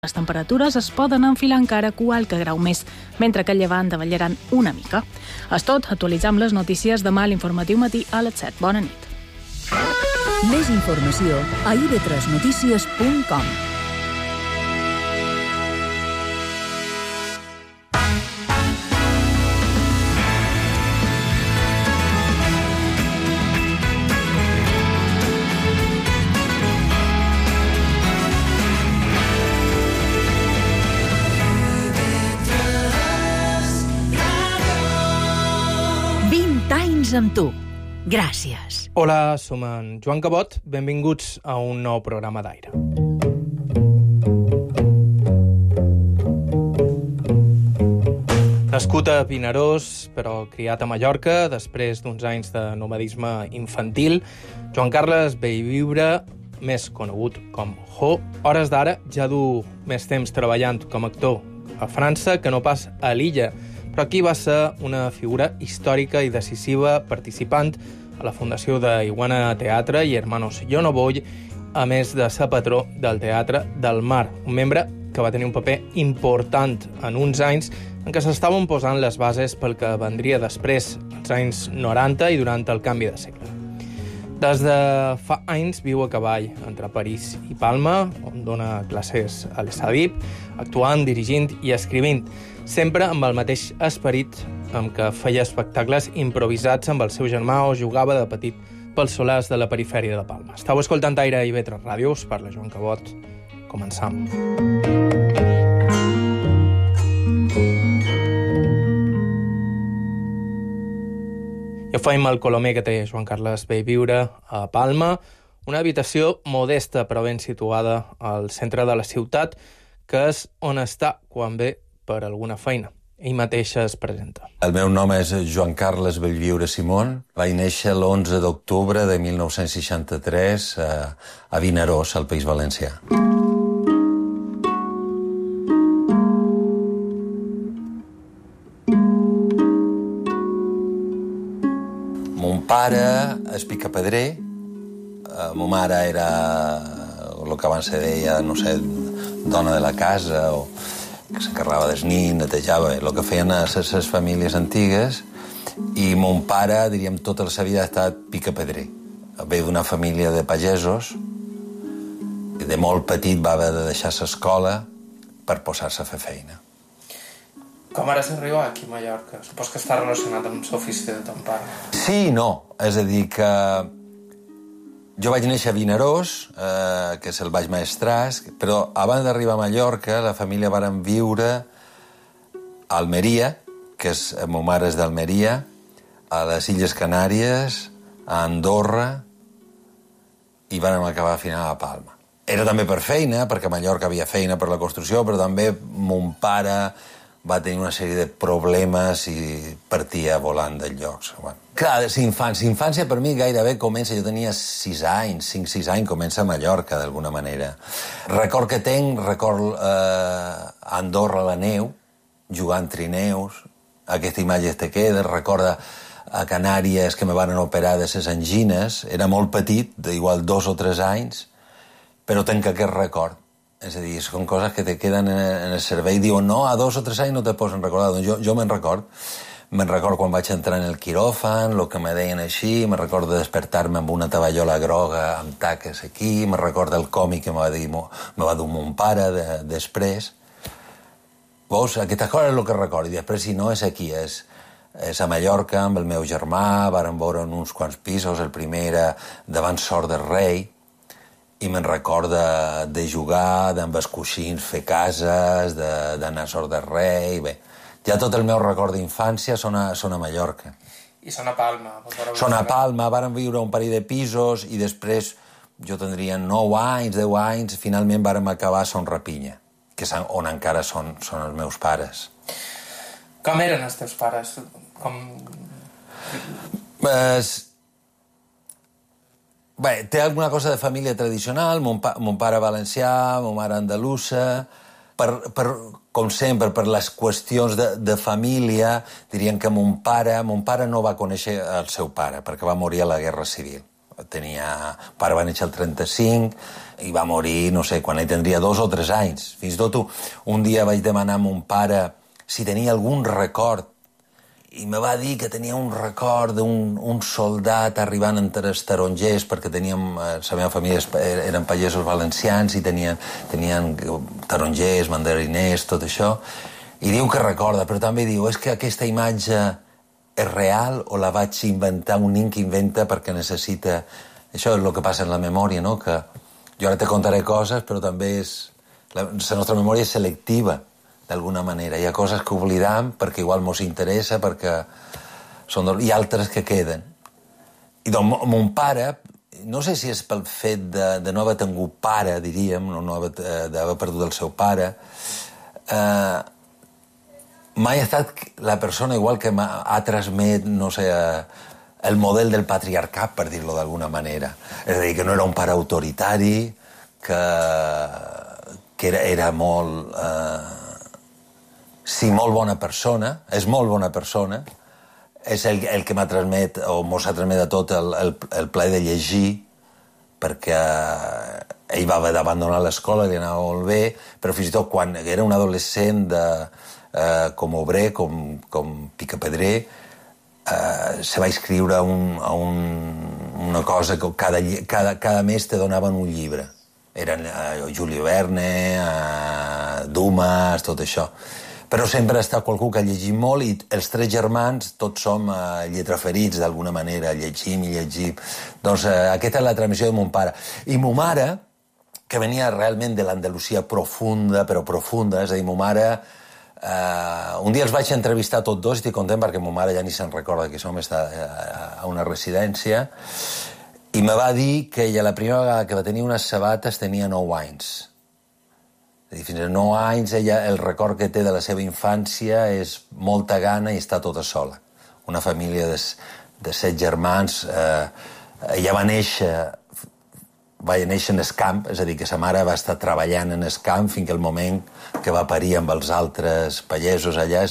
Les temperatures es poden enfilar encara qualque grau més, mentre que a llevant davallaran una mica. És tot, actualitzam les notícies demà a l'Informatiu Matí a les 7. Bona nit. Més informació a ib3notícies.com. Amb tu. Gràcies. Hola, som en Joan Cabot. Benvinguts a un nou programa d'Aire. Nascut a Vinaròs, però criat a Mallorca, després d'uns anys de nomadisme infantil, Joan Carles Bellviure, més conegut com Jo, hores d'ara ja du més temps treballant com a actor a França que no pas a l'illa, però aquí va ser una figura històrica i decisiva participant a la fundació d'Iguana Teatre i Hermanos Yo No Voy, a més de ser patró del Teatre del Mar, un membre que va tenir un paper important en uns anys en què s'estaven posant les bases pel que vendria després, als anys 90 i durant el canvi de segle. Des de fa anys viu a cavall entre París i Palma, on dona classes a l'ESADIP, actuant, dirigint i escrivint, sempre amb el mateix esperit amb què feia espectacles improvisats amb el seu germà o jugava de petit pels solars de la perifèria de Palma. Estau escoltant Aire i IB3 Ràdio, us parla Joan Cabot. Començam. I ho feim al colomer que té Joan Carles Bellviure a Palma, una habitació modesta però ben situada al centre de la ciutat, que és on està quan ve per alguna feina. Ell mateix es presenta. El meu nom és Joan Carles Bellviure Simón. Vaig néixer l'11 d'octubre de 1963 a Vinaròs, al País Valencià. Mon pare és picapedrer. Ma mare era el que abans se deia, no sé, dona de la casa o que s'encarregava dels nins, netejava, el que feien a les famílies antigues, i mon pare, diríem, tota la seva vida ha estat picapedrer. Ve d'una família de pagesos, i de molt petit va haver de deixar l'escola per posar-se a fer feina. Com ara s'arriba aquí a Mallorca? Supos que està relacionat amb l'ofici de ton pare. Sí i no. És a dir, que jo vaig néixer a Vinaròs, que és el Baix Maestrat, però abans d'arribar a Mallorca, la família varen viure a Almeria, que és, ma mare és d'Almeria, a les Illes Canàries, a Andorra, i vàrem acabar al final a Palma. Era també per feina, perquè a Mallorca havia feina per la construcció, però també mon pare va tenir una sèrie de problemes i partia volant del lloc. Bueno, clar, infància per mi gairebé comença, jo tenia 6 anys, 5-6 anys, comença a Mallorca, d'alguna manera. Record que tenc, a Andorra a la neu, jugant trineus, aquesta imatge te queda, recorda a Canàries que me van operar de les angines, era molt petit, d'igual 2 o 3 anys, però tenc aquest record. És a dir, són coses que te queden en el cervell. Diuen, no, a 2 o 3 anys no te posen recordar. Doncs jo me'n record. Me'n record quan vaig entrar en el quiròfan, el que me deien així, me'n record de despertar-me amb una tavallola groga amb taques aquí, me'n record del còmic que me va dur mon pare després. Veus, aquesta cosa és el que recordo. I després, si no, és aquí, és a Mallorca amb el meu germà, vàrem veure en uns quants pisos, el primer era davant Sort del Rei, i me'n record de jugar, amb els coixins fer cases, d'anar a Sort del Rei. Bé, ja tot el meu record d'infància són a Mallorca. I són a Palma. Són a Palma, vàrem viure un parell de pisos i després jo tindria 9 anys, 10 anys, finalment vàrem acabar a Son Rapinya, que és on encara són els meus pares. Com eren els teus pares? Bé, té alguna cosa de família tradicional, mon pare valencià, ma mare andalusa, com sempre, per les qüestions de família, dirien que mon pare no va conèixer el seu pare, perquè va morir a la Guerra Civil. pare va néixer el 35 i va morir, no sé, quan ell tindria 2 o 3 anys. Fins i tot un dia vaig demanar a mon pare si tenia algun record i me va dir que tenia un record d'un soldat arribant entre els tarongers, perquè la meva família eren pagesos valencians i tenien tarongers, mandariners, tot això, i diu que recorda, però també diu, és que aquesta imatge és real o la vaig inventar, un nen que inventa perquè necessita... Això és el que passa en la memòria, no? Que jo ara te contaré coses, però també la nostra memòria és selectiva, d'alguna manera. Hi ha coses que oblidam perquè igual mos interessa, perquè hi ha altres que queden. I doncs mon pare, no sé si és pel fet de no haver tingut pare, diríem, d'haver perdut el seu pare, mai ha estat la persona igual que ha transmet, no sé, el model del patriarcat, per dir-lo d'alguna manera. És a dir, que no era un pare autoritari, que era molt... sí, molt bona persona, és molt bona persona, és el que m'ha transmet, o mos ha transmet a tot el plaer de llegir, perquè ell va haver d'abandonar l'escola, li anava molt bé, però fins i tot quan era un adolescent com obrer, com picapedrer, se va inscriure a una cosa que cada mes te donaven un llibre. Eren Julio Verne, Dumas, tot això. Però sempre ha estat qualcú que ha llegit molt i els 3 germans tots som lletraferits d'alguna manera, llegim i llegim. Doncs aquesta és la transmissió de mon pare. I mo mare, que venia realment de l'Andalusia profunda, però profunda, és a dir, mo mare... un dia els vaig entrevistar tots dos i estic content perquè mo mare ja ni se'n recorda que som està a una residència i me va dir que ella la primera vegada que va tenir unes sabates tenia 9 anys. És a dir, fins a 9 anys ella, el record que té de la seva infància és molta gana i està tota sola. Una família de 7 germans. Ella va néixer en el camp, és a dir, que sa mare va estar treballant en el camp fins que el moment que va parir amb els altres pagesos allà.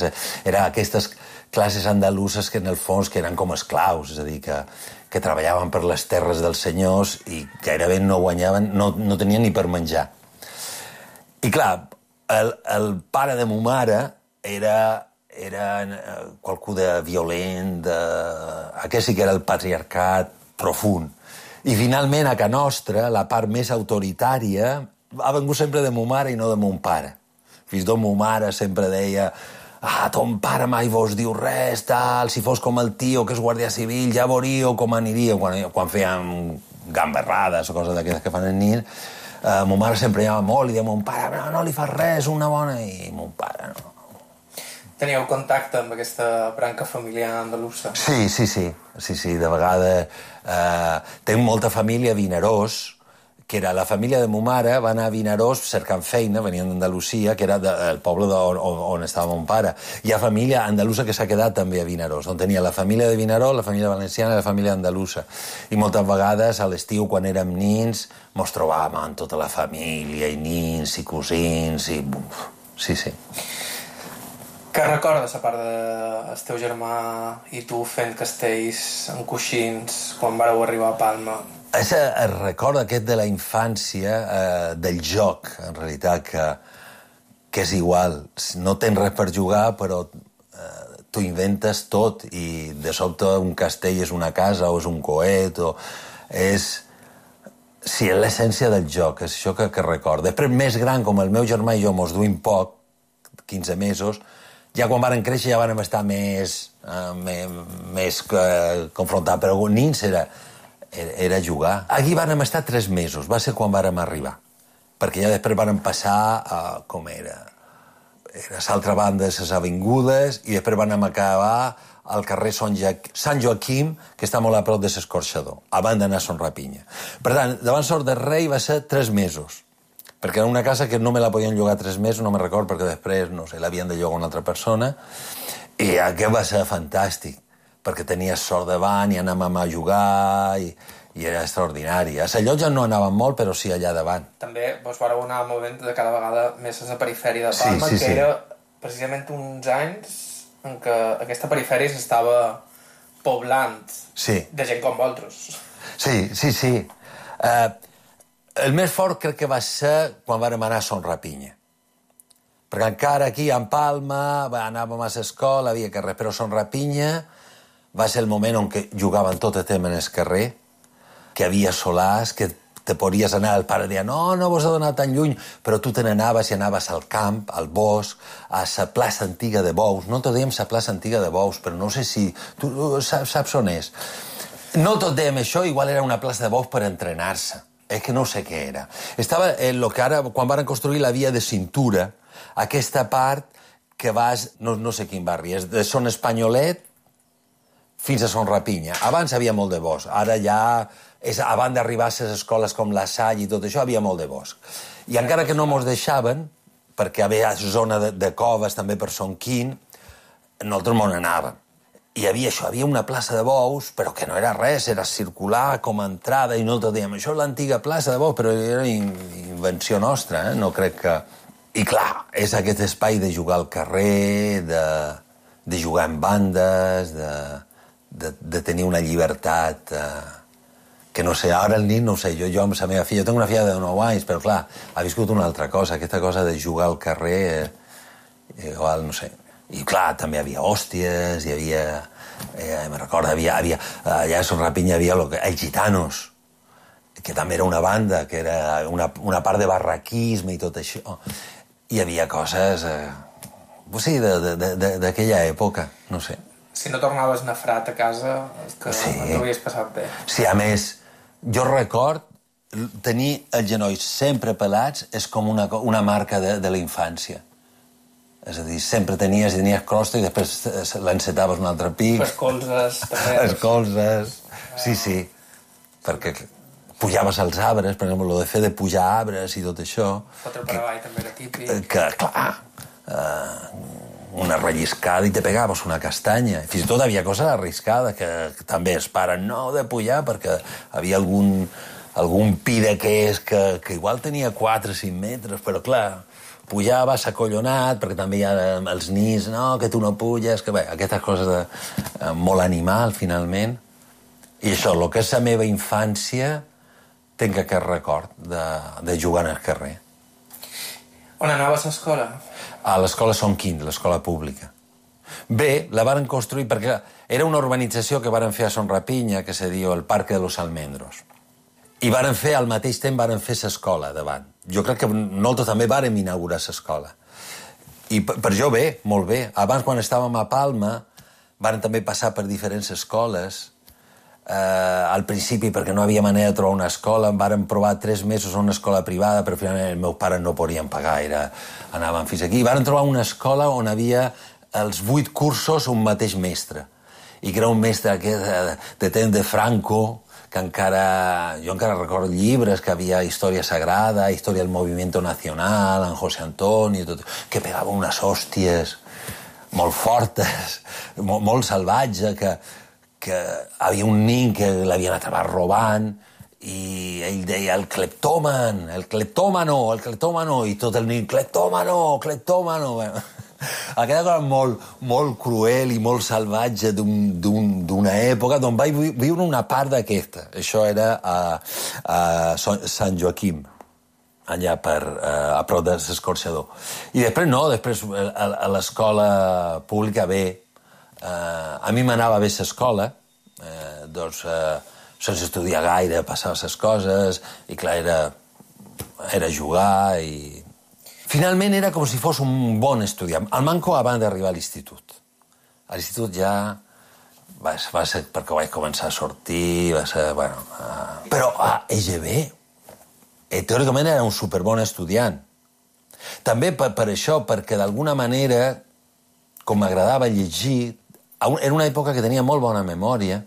Era aquestes classes andaluses que en el fons que eren com esclaus, és a dir, que treballaven per les terres dels senyors i gairebé no guanyaven, no tenien ni per menjar. I clar, el pare de mo mare era qualcú de violent, aquest sí que era el patriarcat profund. I finalment, a casa nostra, la part més autoritària ha vengut sempre de mo mare i no de mon pare. Fins i tot mo mare sempre deia ton pare mai vos diu res, tal, si fos com el tio que és guàrdia civil, ja veuríeu com aniríeu. Quan fèiem gamberrades o coses d'aquestes que fan el nin, mo mare sempre anava molt i deia mon pare, no li fas res, una bona... I mon pare no. Teníeu contacte amb aquesta branca familiar andalusa? Sí, de vegades... Tenc molta família a Vinaròs, que era la família de mo mare, va anar a Vinaròs cercant feina, venien d'Andalusia, que era el poble on estava mon pare. Hi ha família andalusa que s'ha quedat també a Vinaròs, on tenia la família de Vinaròs, la família valenciana i la família andalusa. I moltes vegades, a l'estiu, quan érem nins, mos trobàvem amb tota la família, i nins, i cosins, i... Sí. Què recordes, a part del teu germà i tu fent castells en coixins quan vareu arribar a Palma? És el record aquest de la infància, del joc, en realitat, que és igual. No tens res per jugar, però t'ho inventes tot i de sobte un castell és una casa o és un coet o és... Sí, és l'essència del joc, és això que recordo. Després, més gran, com el meu germà i jo mos duim poc, 15 mesos, ja quan varen créixer ja vàrem estar més confrontats, però nins era jugar. Aquí vàrem estar 3 mesos, va ser quan vàrem arribar, perquè ja després vàrem passar com era l'altra banda de les avingudes i després vàrem acabar al carrer Sant Joaquim, que està molt a prop de l'Escorxador, abans d'anar a Son Rapinya. Per tant, davant Sort de Rei va ser 3 mesos, perquè era una casa que no me la podien llogar 3 mesos, no me record, perquè després, no sé, l'havien de llogar una altra persona, i aquest va ser fantàstic, perquè tenies sort davant i anàvem a jugar, i era extraordinari. A la llotja no anàvem molt, però sí allà davant. També vos vareu anar movent de cada vegada més a la perifèria de Palma, que era precisament uns anys en què aquesta perifèria s'estava poblant de gent com vosaltres. Sí. El més fort crec que va ser quan vàrem anar a Son Rapinya. Perquè encara aquí, en Palma, anàvem a l'escola, havia carrer, però Son Rapinya va ser el moment on que jugaven tot el temps en el carrer, que havia solars, que te podries anar, el pare deia, no vos ha donat tan lluny, però tu te n'anaves i anaves al camp, al bosc, a la plaça antiga de Bous. No te dèiem la plaça antiga de Bous, però no sé si... Tu saps on és? No tot dèiem això, igual era una plaça de Bous per entrenar-se. És que no sé què era. Estava en el que ara, quan van construir la via de cintura, aquesta part que vas, no sé quin barri, és de Son Espanyolet fins a Son Rapinya. Abans havia molt de bosc, ara ja, abans d'arribar a les escoles com la Salle i tot això, havia molt de bosc. I encara que no mos deixaven, perquè hi havia zona de coves també per Son Quint, nosaltres mos n'anàvem. I hi havia una plaça de Bous, però que no era res, era circular com a entrada, i nosaltres dèiem, això és l'antiga plaça de Bous, però era invenció nostra, no crec que... I clar, és aquest espai de jugar al carrer, de jugar en bandes, de tenir una llibertat que no sé, ara el nit no ho sé, jo amb la meva filla, jo tinc una filla de 9 anys, però clar, ha viscut una altra cosa, aquesta cosa de jugar al carrer, igual, no sé. I clar, també hi havia hòsties, hi havia... me recordo, allà a Son Rapinya hi havia els Gitanos, que també era una banda, que era una part de barraquisme i tot això. Hi havia coses, sí, d'aquella època, no sé. Si no tornaves nafrat a casa, és que no t'havies passat bé. Sí, a més, jo record tenir els genolls sempre pelats és com una marca de la infància. És a dir, sempre tenies crosta i després l'encetaves un altre pic. Els colzes, també. Els colzes, sí. Perquè pujaves als arbres, per exemple, el de fer de pujar arbres i tot això. Fotre per avall també era típic. Que, clar, una relliscada i te pegaves una castanya. Fins i tot havia coses arriscades que també es paren, no de pujar, perquè havia algun pi d'aquest que igual tenia 4 o 5 metres, però clar... Pujaves acollonat, perquè també hi ha els nins, no, que tu no puges, que bé, aquestes coses molt animal, finalment. I això, el que és la meva infància, tinc aquest record de jugar al carrer. On anaves a l'escola? A l'escola Son Quint, l'escola pública. Bé, la varen construir perquè era una urbanització que varen fer a Son Rapinya, que se diu el Parque de los Almendros. I varen fer, al mateix temps, varen fer l'escola davant. Jo crec que nosaltres també vàrem inaugurar l'escola. I per jo bé, molt bé. Abans, quan estàvem a Palma, varen també passar per diferents escoles. Al principi, perquè no havia manera de trobar una escola, varen provar 3 mesos a una escola privada, però finalment els meus pares no podien pagar, anaven fins aquí. I varen trobar una escola on havia els 8 cursos un mateix mestre. I que era un mestre de temps de Franco, que jo encara recordo llibres, que havia història sagrada, història del movimiento nacional, en José Antonio, tot, que pegava unes hòsties molt fortes, molt salvatge, que havia un nin que l'havien atrapat robant, i ell deia el cleptòmano, i tot el nin, cleptòmano. Aquella cosa molt cruel i molt salvatge d'una època d'on vaig viure una part d'aquesta. Això era a Sant Joaquim, allà a prop de l'Escorxador. I després a l'escola pública bé. A mi m'anava bé l'escola, sense estudiar gaire, passava les coses, i clar, era jugar i... Finalment era com si fos un bon estudiant. El manco abans d'arribar a l'institut. A l'institut ja va ser perquè vaig començar a sortir, va ser, bueno... Però a EGB, teòricament era un superbon estudiant. També per això, perquè d'alguna manera, com m'agradava llegir, era una època que tenia molt bona memòria,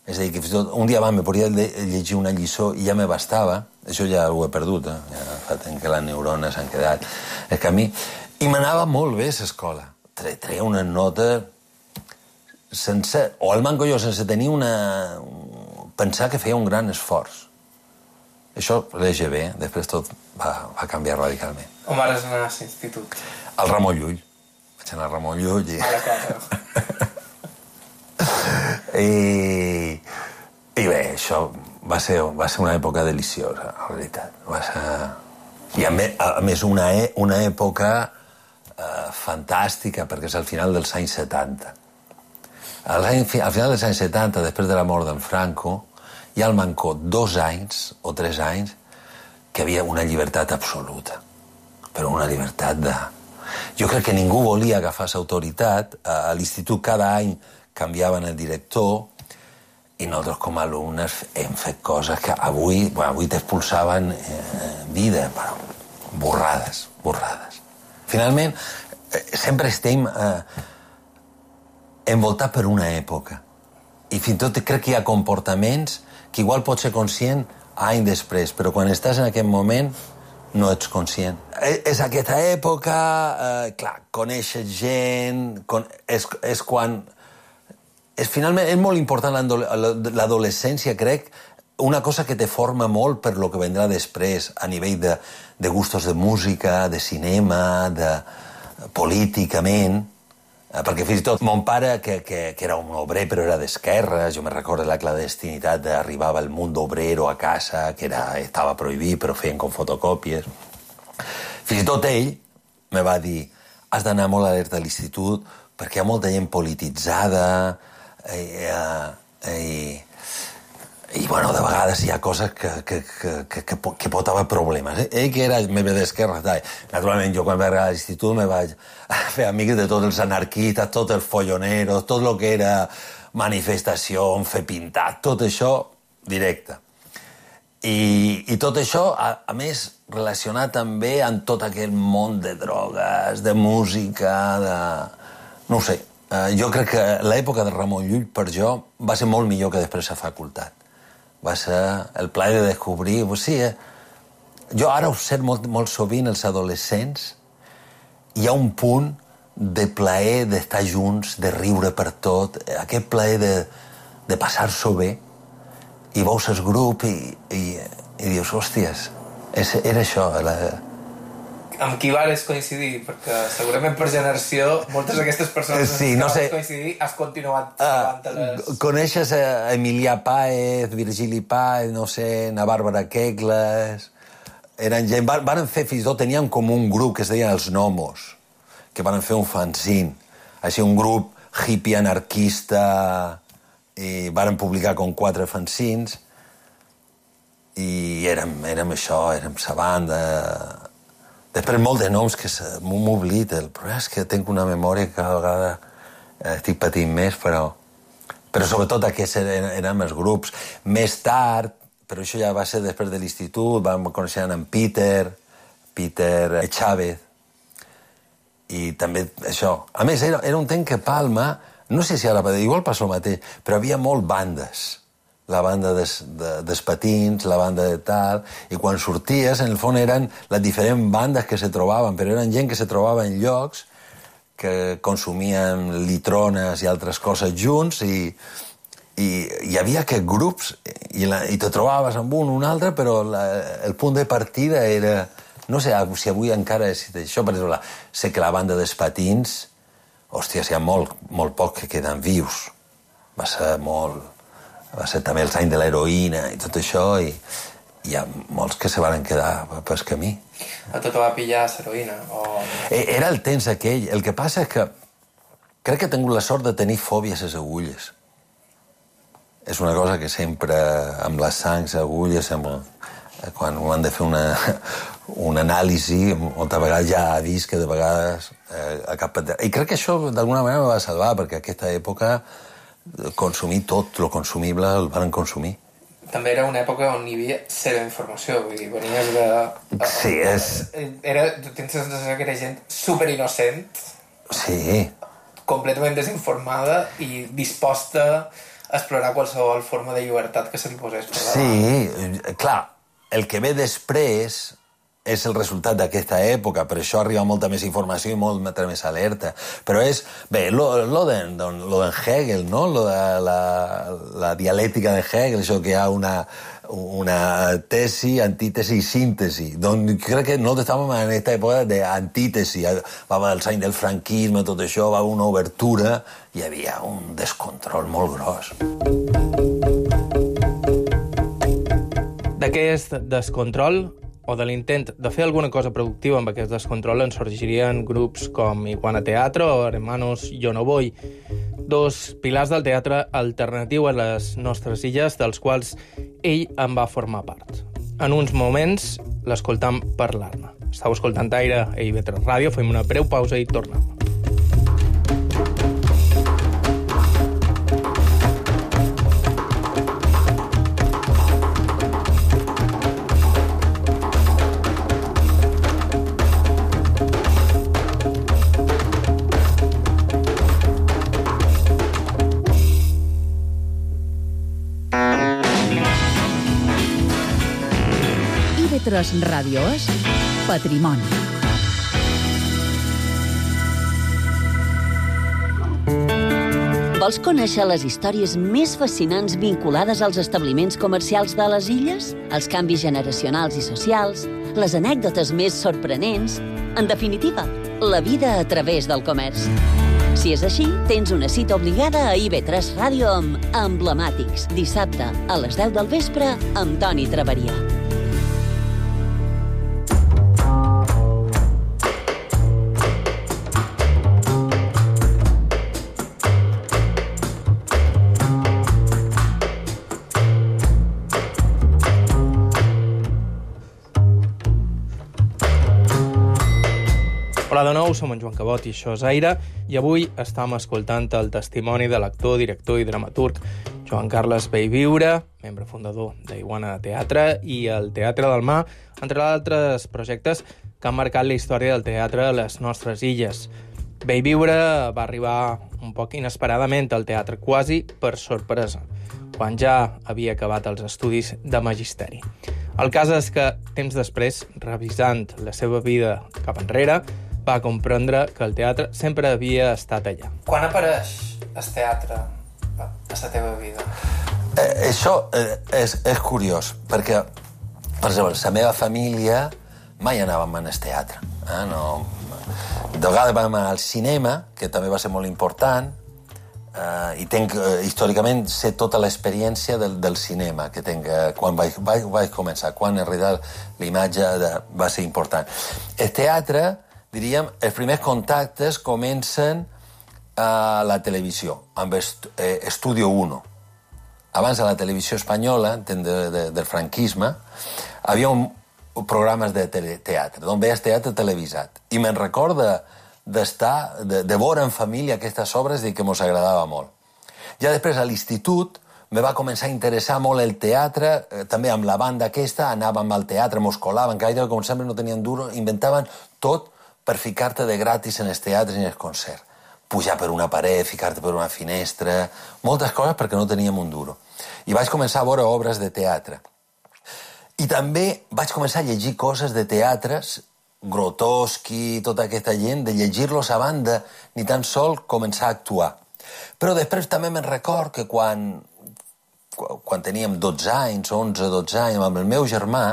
és a dir, que fins i tot un dia abans me podia llegir una lliçó i ja me bastava. Això ja ho he perdut, ja fa temps que les neurones han quedat. És que a mi... I m'anava molt bé a l'escola. Treia una nota sense... O el manco jo, sense tenir pensar que feia un gran esforç. Això l'EGB, després tot va canviar radicalment. On vas anar a l'institut? Al Ramon Llull. Vaig anar al Ramon Llull i... Mala cosa. I bé, això va ser una època deliciosa, la veritat. Va ser... I a més una època fantàstica, perquè és al final dels anys 70. Al final dels anys 70, després de la mort d'en Franco, hi ha al Mancó 2 anys o 3 anys que hi havia una llibertat absoluta. Però una llibertat de... Jo crec que ningú volia agafar l'autoritat. A l'institut cada any canviaven el director i nosaltres com a alumnes hem fet coses que avui t'expulsaven vida, però borrades. Finalment, sempre estem envoltats per una època. I fins i tot crec que hi ha comportaments que igual pots ser conscient any després, però quan estàs en aquest moment no ets conscient. És aquesta època, clar, coneixes gent, és quan... Finalment, és molt important l'adolescència, crec, una cosa que te forma molt per lo que vendrà després, a nivell de gustos de música, de cinema, políticament, perquè fins i tot mon pare, que era un obrer però era d'esquerra, jo me recordo la clandestinitat d'arribava el Mundo Obrero a casa, que estava prohibit però feien com fotocòpies. Fins i tot ell me va dir has d'anar molt alerta a l'institut perquè hi ha molta gent polititzada i bueno, de vegades hi ha coses que pot haver problemes. Ell que era més d'esquerra, naturalment jo quan vaig arribar a l'institut me vaig fer amics de tots els anarquistes, tots els folloneros, tot el que era manifestació, fer pintat, tot això directe. I tot això, a més, relacionat també amb tot aquell món de drogues, de música, no ho sé. Jo crec que l'època de Ramon Llull, per jo, va ser molt millor que després a facultat. Va ser el plaer de descobrir... Jo ara observo molt sovint els adolescents, hi ha un punt de plaer d'estar junts, de riure per tot, aquest plaer de passar-s'ho bé, i veus el grup i dius, hòsties, era això. Amb qui vares coincidir? Perquè segurament per generació moltes d'aquestes persones sí, no sé. Coincidir has continuat davant-les. Coneixes Emilià Páez, Virgili Páez, no sé, na Bàrbara Kegles... Eren gent... Van fer fins i tot, tenien com un grup que es deien els Gnomos, que van fer un fanzine. Així un grup hippie anarquista i van publicar com 4 fanzines i érem això, érem sa banda... Després molt de noms que m'oblid, el problema és que tinc una memòria que cada vegada estic patint més, però sobretot aquests eren els grups. Més tard, però això ja va ser després de l'institut, vam conèixer en Peter Chávez, i també això. A més, era un temps que Palma, no sé si ara, igual passa el mateix, però havia molt bandes. La banda dels patins, la banda de tal... I quan sorties, en el fons, eren les diferents bandes que se trobaven, però eren gent que se trobava en llocs que consumien litrones i altres coses junts i hi havia aquests grups i te trobaves amb un altre, però el punt de partida era... No sé si avui encara és això, per exemple, sé que la banda dels patins, hòstia, hi ha molt pocs que queden vius. Va ser també els anys de l'heroïna i tot això, i hi ha molts que se van quedar pel camí. A tot va pillar l'heroïna? Era el temps aquell. El que passa és que crec que he tingut la sort de tenir fòbia a les agulles. És una cosa que sempre, amb les sangs, agulles, quan ho han de fer una anàlisi, moltes vegades ja ha vist que de vegades... I crec que això d'alguna manera me va salvar, perquè a aquesta època consumir tot, lo consumible, el van consumir. També era una època on hi havia zero informació, vull dir, venies de... Sí, és... Tens la sensació que era gent superinnocent, sí, completament desinformada i disposta a explorar qualsevol forma de llibertat que se li posés per davant. Sí, clar, el que ve després és el resultat d'aquesta època, per això arriba molta més informació i molta més alerta. Però és, bé, lo d'en Hegel, no? La dialèctica de Hegel, això que hi ha una tesi, antítesi i síntesi. Doncs crec que no estàvem en aquesta època d'antítesi. Va haver els anys del franquisme, tot això, va haver una obertura, i hi havia un descontrol molt gros. D'aquest descontrol, o de l'intent de fer alguna cosa productiva amb aquest descontrol, en sorgirien grups com Iguana Teatro o Hermanos Yo No Voy, dos pilars del teatre alternatiu a les nostres illes, dels quals ell en va formar part. En uns moments l'escoltam parlar-ne. Estau escoltant Aire a IB3 Ràdio, fem una breu pausa i tornem. IB3 Ràdio és Patrimoni. Vols conèixer les històries més fascinants vinculades als establiments comercials de les illes? Els canvis generacionals i socials? Les anècdotes més sorprenents? En definitiva, la vida a través del comerç. Si és així, tens una cita obligada a IB3 Ràdio amb Emblemàtics, dissabte a les 10 del vespre amb Toni Traveria. Hola de nou, som en Joan Cabot i això és Aire, i avui estem escoltant el testimoni de l'actor, director i dramaturg Joan Carles Bellviure, membre fundador d'Iguana Teatre i el Teatre del Mar, entre altres projectes que han marcat la història del teatre a les nostres illes. Bellviure va arribar un poc inesperadament al teatre, quasi per sorpresa, quan ja havia acabat els estudis de magisteri. El cas és que, temps després, revisant la seva vida cap enrere, va comprendre que el teatre sempre havia estat allà. Quan apareix el teatre a la teva vida? Això és curiós, perquè, per exemple, la meva família mai anàvem al teatre. De vegades vam al cinema, que també va ser molt important, i tenc, històricament, sé tota l'experiència del cinema que tenc quan vaig començar, quan en realitat l'imatge va ser important. El teatre, diríem, els primers contactes comencen a la televisió, amb Estudio 1. Abans a la televisió espanyola, del franquisme, havia programes de teatre, on veies teatre televisat. I me'n recorda de veure en família aquestes obres i que mos agradava molt. Ja després, a l'institut, me va començar a interessar molt el teatre, també amb la banda aquesta, anàvem al teatre, mos colaven, que com sempre no tenien duro, inventaven tot per ficar-te de gratis en els teatres i en els concerts. Pujar per una paret, ficar-te per una finestra, moltes coses perquè no teníem un duro. I vaig començar a veure obres de teatre. I també vaig començar a llegir coses de teatres, Grotowski, tota aquesta gent, de llegir-los abans de ni tan sol començar a actuar. Però després també me'n record que quan teníem 12 anys, 11-12 anys, amb el meu germà,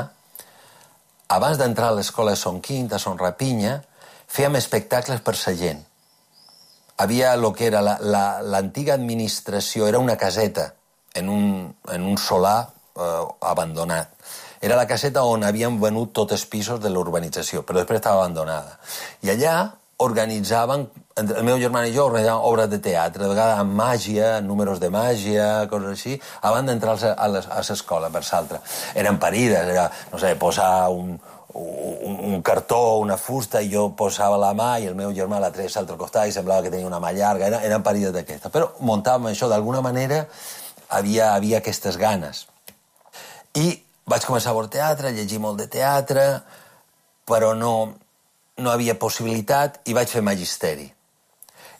abans d'entrar a l'escola de Son Quint, a Son Rapinya, fèiem espectacles per sa gent. Havia el que era l'antiga administració, era una caseta en un solar abandonat. Era la caseta on havien venut tots els pisos de l'urbanització, però després estava abandonada. I allà organitzaven, el meu germà i jo organitzàvem obres de teatre, de vegades amb màgia, números de màgia, coses així, abans d'entrar a l'escola, per l'altra. Eren parides, era, no sé, posar un cartó, una fusta, i jo posava la mà i el meu germà la treia a l'altre costat i semblava que tenia una mà llarga, eren parides d'aquestes. Però muntàvem això, d'alguna manera havia aquestes ganes. I vaig començar a veure teatre, llegir molt de teatre, però no havia possibilitat i vaig fer magisteri.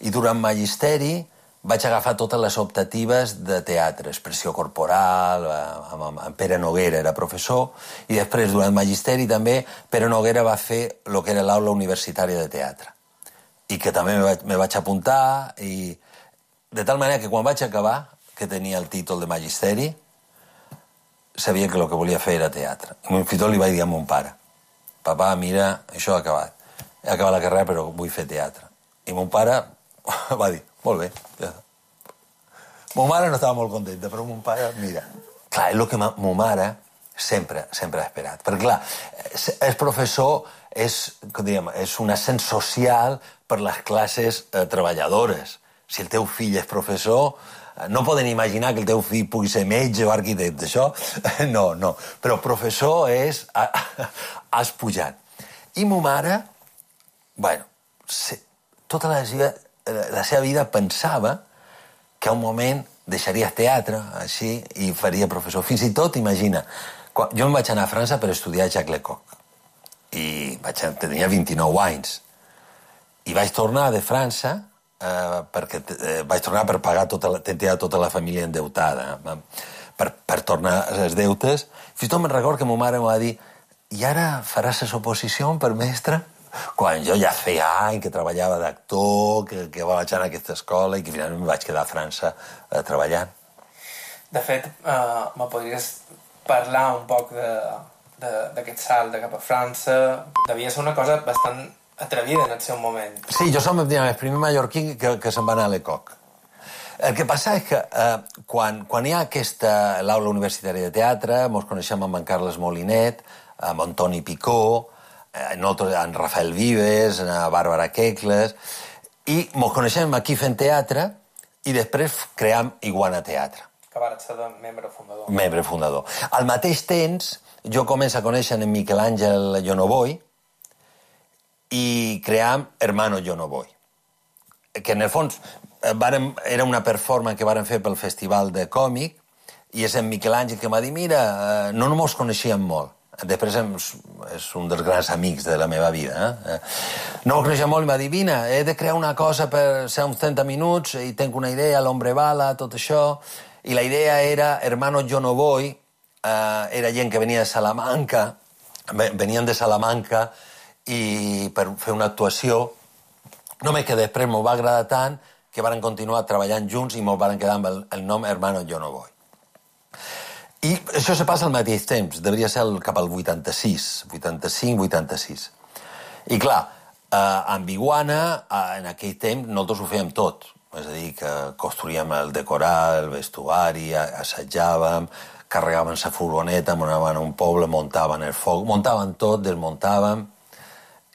I durant magisteri vaig agafar totes les optatives de teatre, expressió corporal, amb Pere Noguera era professor, i després, durant magisteri també, Pere Noguera va fer el que era l'aula universitària de teatre. I que també me vaig apuntar, i de tal manera que quan vaig acabar, que tenia el títol de magisteri, sabia que el que volia fer era teatre. I fins i tot li vaig dir a mon pare: «Papà, mira, això ha acabat. He acabat la carrera, però vull fer teatre». I mon pare va dir: «Molt bé, ja està». Mon mare no estava molt contenta, però mon pare, mira... Clar, és el que ma mare sempre he esperat. Perquè, clar, el professor és un ascens social per les classes treballadores. Si el teu fill és professor, no poden imaginar que el teu fill pugui ser metge o arquitecte, això? No. Però professor és... has pujat. I ma mare, bueno, tota la seva vida pensava que a un moment deixaria el teatre, així, i faria professor. Fins i tot, imagina, jo em vaig anar a França per estudiar Jacques Lecoq. I tenia 29 anys. I vaig tornar de França perquè vaig tornar per pagar tota la família endeutada, per tornar els deutes. Fins i tot me'n recordo que ma mare em va dir i ara faràs les oposicions per mestre? Quan jo ja feia anys que treballava d'actor, que vaig anar a aquesta escola i que finalment em vaig quedar a França treballant. De fet, me podries parlar un poc d'aquest salt de cap a França? Devia ser una cosa bastant atrevida en el seu moment. Sí, jo som el primer mallorquí que se'n va anar a Lecoq. El que passa és que quan hi ha aquesta l'aula universitària de teatre, ens coneixem amb en Carles Molinet, amb Antoni Picó, en Rafael Vives, en Bàrbara Quecles, i ens coneixem aquí fent teatre i després cream Iguana Teatre. Que va ser membre fundador. Membre fundador. Al mateix temps, jo començo a conèixer en Miquel Àngel Jonovoy i cream Hermano Jonovoy, que en el fons era una performance que vàrem fer pel Festival de Còmic i és en Miquel Àngel que m'ha dit mira, no ens coneixíem molt. Després és un dels grans amics de la meva vida. No m'ho coneixia molt i m'ha dit vine, he de crear una cosa per ser uns 30 minuts i tinc una idea, l'Hombre Bala, tot això. I la idea era Hermano Jonovoy, era gent que venia de Salamanca, venien de Salamanca i per fer una actuació, només que després m'ho va agradar tant que varen continuar treballant junts i m'ho varen quedar amb el nom Hermano Jonovoy. I això se passa al mateix temps, devia ser cap al 86, 85-86. I clar, amb Iguana, en aquell temps, nosaltres ho fèiem tot. És a dir, que construíem el decorar, el vestuari, assajàvem, carregàvem la furgoneta, anàvem a un poble, muntaven el foc, muntaven tot, desmuntàvem,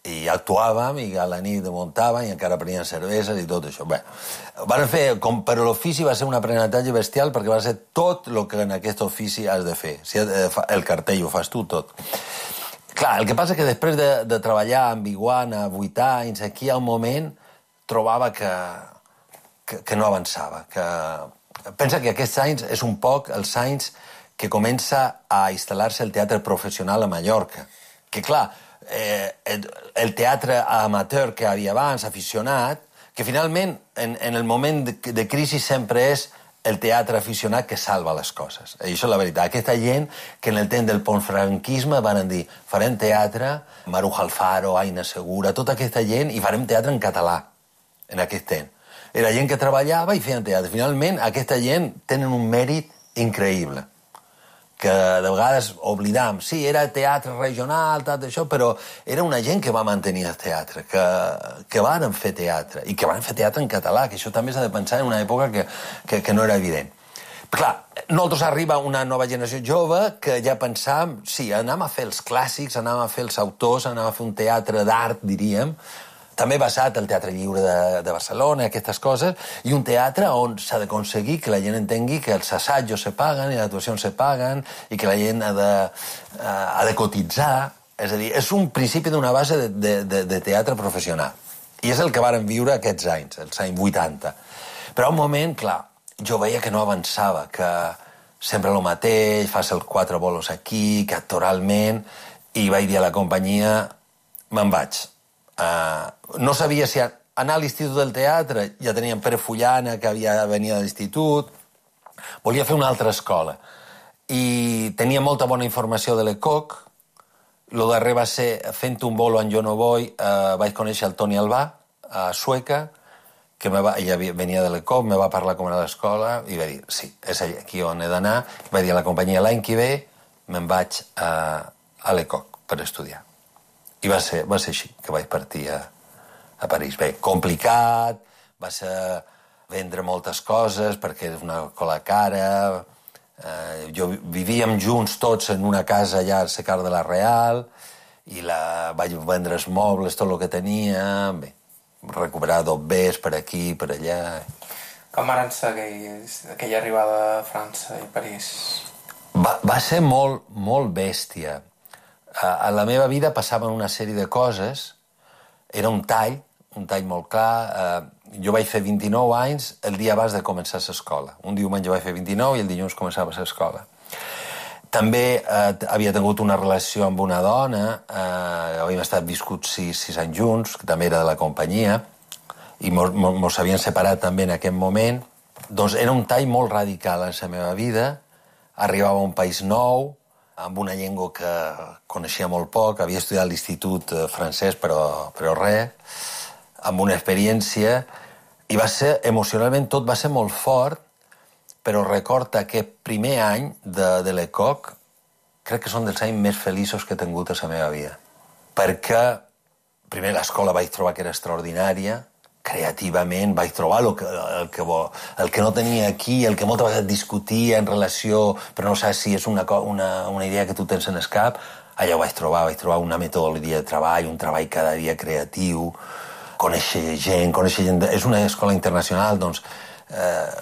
i actuàvem, i a la nit muntàvem, i encara prenien cerveses i tot això. Bé, van fer, com per l'ofici va ser un aprenentatge bestial perquè va ser tot el que en aquest ofici has de fer. Si el cartell ho fas tu, tot. Clar, el que passa que després de treballar amb Iguana 8 anys, aquí al moment trobava que no avançava. Pensa que aquests anys és un poc els anys que comença a instal·lar-se el teatre professional a Mallorca. Que clar, el teatre amateur que havia abans, aficionat, que finalment en el moment de crisi sempre és el teatre aficionat que salva les coses. I això és la veritat. Aquesta gent que en el temps del postfranquisme van dir farem teatre, Maruja Alfaro, Aina Segura, tota aquesta gent, i farem teatre en català en aquest temps. Era gent que treballava i feien teatre. Finalment, aquesta gent tenen un mèrit increïble, que de vegades oblidam. Sí, era teatre regional, tot això, però era una gent que va mantenir el teatre, que varen fer teatre, i que van fer teatre en català, que això també s'ha de pensar en una època que no era evident. Però clar, nosaltres arriba una nova generació jove que ja pensàvem, sí, anàvem a fer els clàssics, anàvem a fer els autors, anàvem a fer un teatre d'art, diríem, també basat al Teatre Lliure de Barcelona, aquestes coses, i un teatre on s'ha d'aconseguir que la gent entengui que els assajos se paguen i les actuacions se paguen i que la gent ha de cotitzar. És a dir, és un principi d'una base de teatre professional. I és el que varen viure aquests anys, els anys 80. Però a un moment, clar, jo veia que no avançava, que sempre el mateix, fas els 4 bolos aquí, que actoralment, i vaig dir a la companyia, me'n vaig. No sabia si anar a l'Institut del Teatre, ja teníem Pere Fullana, que venia de l'Institut, volia fer una altra escola. I tenia molta bona informació de Lecoq. Lo darrer va ser, fent un bolo en Jonovoy, vaig conèixer el Toni Albà, a Sueca, que ella venia de Lecoq, me va parlar com era l'escola, i va dir, sí, és aquí on he d'anar. Vaig dir a la companyia, l'any que ve me'n vaig a Lecoq per estudiar. I va ser així que vaig partir a París. Bé, complicat, va ser vendre moltes coses perquè és una escola cara, Vivíem junts tots en una casa allà al Secar de la Real i vaig vendre els mobles, tot el que tenia, bé, recuperar dobbers per aquí, per allà. Com van ser aquella arribada a França i París? Va ser molt, molt bèstia. A la meva vida passaven una sèrie de coses. Era un tall molt clar. Jo vaig fer 29 anys el dia abans de començar l'escola. Un diumenge vaig fer 29 i el dilluns començava l'escola. També havia tingut una relació amb una dona, havíem estat viscuts 6 anys junts, que també era de la companyia, i mos havien separat també en aquest moment. Doncs era un tall molt radical en la meva vida. Arribava a un país nou, amb una llengua que coneixia molt poc, havia estudiat a l'institut francès, però res, amb una experiència, i va ser, emocionalment, tot va ser molt fort, però record aquest primer any de l'ECOC, crec que són dels anys més feliços que he tingut a la meva vida. Perquè, primer, l'escola vaig trobar que era extraordinària, creativament vaig trobar el que no tenia aquí, el que moltes vegades discutia en relació, però no saps si és una idea que tu tens en el cap, allà ho vaig trobar una metodologia de treball, un treball cada dia creatiu, conèixer gent. És una escola internacional, doncs,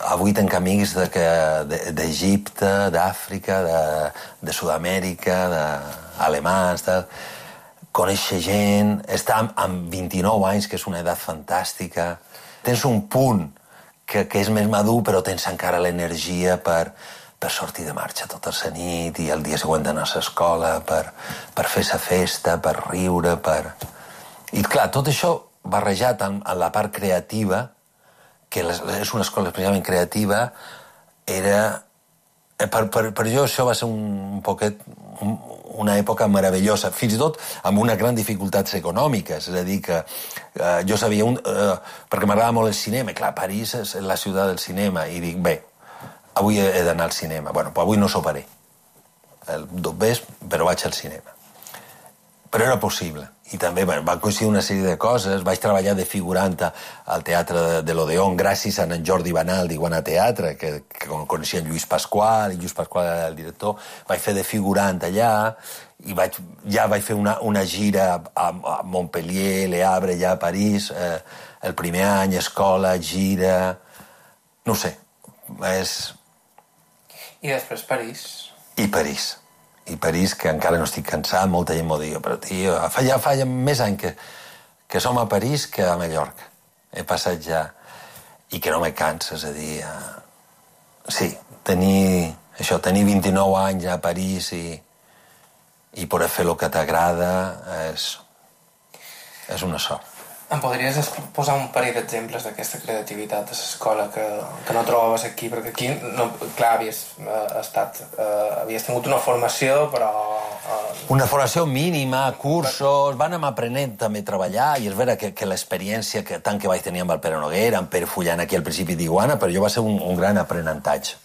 avui tenc amics d'Egipte, d'Àfrica, de Sud-amèrica, d'alemans, conèixer gent, estar amb 29 anys, que és una edat fantàstica. Tens un punt que és més madur, però tens encara l'energia per sortir de marxa tota la nit i el dia següent anar a l'escola, per fer la festa, per riure, I clar, tot això barrejat amb la part creativa, que és una escola especialment creativa, era... Per jo això va ser un poquet una època meravellosa, fins i tot amb unes grans dificultats econòmiques, és a dir, que jo sabia, perquè m'agradava molt el cinema, i clar, París és la ciutat del cinema, i dic, bé, avui he d'anar al cinema. Bueno, pues avui no soparé. El dobbers, però vaig al cinema. Però era possible. I també van coincidir una sèrie de coses. Vaig treballar de figurant al Teatre de l'Odeón gràcies a en Jordi Banal d'Iguana Teatre, que coneixia en Lluís Pasqual, i Lluís Pasqual era el director. Vaig fer de figurant allà, i ja vaig fer una gira a Montpellier, Le Havre, allà a París, el primer any, escola, gira... No ho sé, I després París. I París, que encara no estic cansat, molta gent m'ho diu, però tio, fa més anys que som a París que a Mallorca. He passat ja... I que no me cansa, és a dir... Sí, tenir 29 anys a París i poder fer el que t'agrada és una sort. Em podries posar un parell d'exemples d'aquesta creativitat a l'escola que no trobaves aquí? Perquè aquí, clar, havies tingut una formació, però... Una formació mínima, cursos, van anar aprenent també a treballar, i és vera que l'experiència tant que vaig tenir amb el Pere Noguera, amb Pere Fullan aquí al principi d'Iguana, però jo va ser un gran aprenentatge.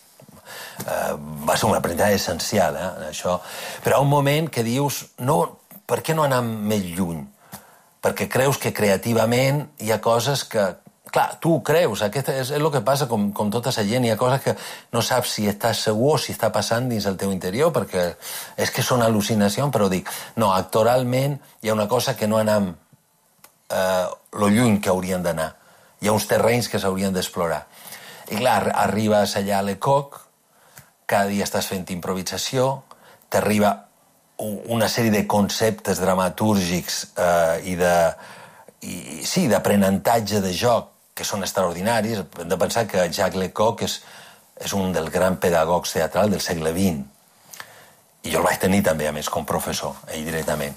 Va ser un aprenentatge essencial, això. Però hi ha un moment que dius, per què no anar més lluny? Perquè creus que creativament hi ha coses que... Clar, tu ho creus, és el que passa com tota la gent, hi ha coses que no saps si estàs segur o si està passant dins el teu interior, perquè és que són al·lucinacions, però dic, no, actoralment hi ha una cosa que no anem lo lluny que haurien d'anar. Hi ha uns terrenys que s'haurien d'explorar. I clar, arribes allà a l'ECOC, cada dia estàs fent improvisació, t'arriba una sèrie de conceptes dramatúrgics i d'aprenentatge de joc que són extraordinaris. Hem de pensar que Jacques Lecoq és un dels grans pedagogs teatrals del segle XX. I jo el vaig tenir també, a més, com professor, ell directament.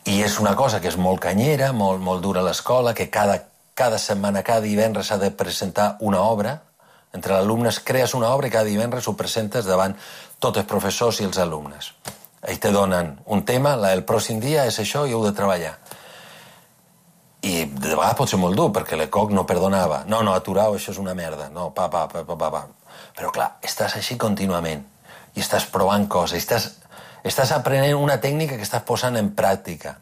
I és una cosa que és molt canyera, molt dura a l'escola, que cada setmana, cada divendres s'ha de presentar una obra. Entre els alumnes crees una obra i cada divendres ho presentes davant tots els professors i els alumnes. Ells te donen un tema, el pròxim dia és això i heu de treballar. I de vegades pot ser molt dur, perquè l'ECOC no perdonava. No, aturau, això és una merda. No, pa. Però clar, estàs així contínuament i estàs provant coses, estàs aprenent una tècnica que estàs posant en pràctica.